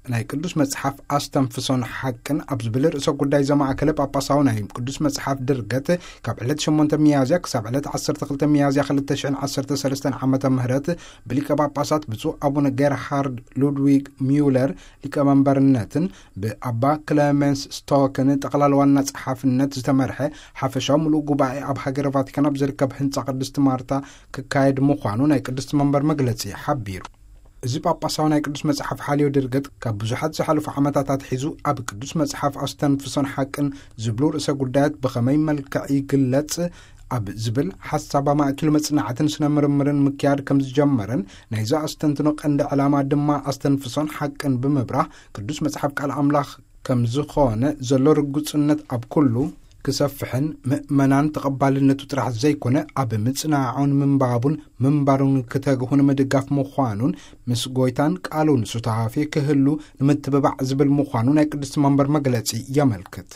ናይ ቅዱስ መጽሓፍ ኣስተንፍሶን ሓቅን ኣብ ዝብል ርእሰ ጉዳይ ዘማእከለ ጳጳሳዊ ናይ ቅዱስ መጽሓፍ ድርገት ካብ ዕለት ሸሞንተ ሚያዝያ ክሳብ ዕለት ዓሰርተ ክልተ ሚያዝያ ክልተ ሽሕን ዓሰርተ ሰለስተን ዓመተ ምህረት ብሊቀ ጳጳሳት ብፁዕ ኣቡነ ጌርሃርድ ሉድዊግ ሚውለር ሊቀመንበርነትን ብኣባ ክለመንስ ስቶክን ጠቕላላ ዋና ጸሓፍነት ዝተመርሐ ሓፈሻዊ ምሉእ ጉባኤ ኣብ ሃገረ ቫቲካን ኣብ ዝርከብ ህንጻ ቅድስት ማርታ ክካየድ ምዃኑ ናይ ቅድስት መንበር መግለጺ ሓቢሩ። እዚ ጳጳሳዊ ናይ ቅዱስ መጽሓፍ ሓልዮ ድርገት ካብ ብዙሓት ዝሓለፉ ዓመታት ኣትሒዙ ኣብ ቅዱስ መጽሓፍ ኣስተንፍሶን ሓቅን ዝብሉ ርእሰ ጉዳያት ብኸመይ መልክዕ ይግለጽ ኣብ ዝብል ሓሳብ ኣማእኪሉ መጽናዕትን ስነ ምርምርን ምክያድ ከም ዝጀመረን ናይዚ ኣስተንትኖ ቀንዲ ዕላማ ድማ ኣስተንፍሶን ሓቅን ብምብራህ ቅዱስ መጽሓፍ ቃል ኣምላኽ ከም ዝኾነ ዘሎ ርጉጽነት ኣብ ኩሉ ክሰፍሕን ምእመናን ተቐባልነቱ ጥራሕ ዘይኮነ ኣብ ምጽናዑን ምንባቡን ምንባሩን ክተግሁ ንምድጋፍ ምዃኑን ምስ ጎይታን ቃሉን ሱታፌ ክህሉ ንምትብባዕ ዝብል ምዃኑ ናይ ቅድስቲ መንበር መግለጺ የመልክት።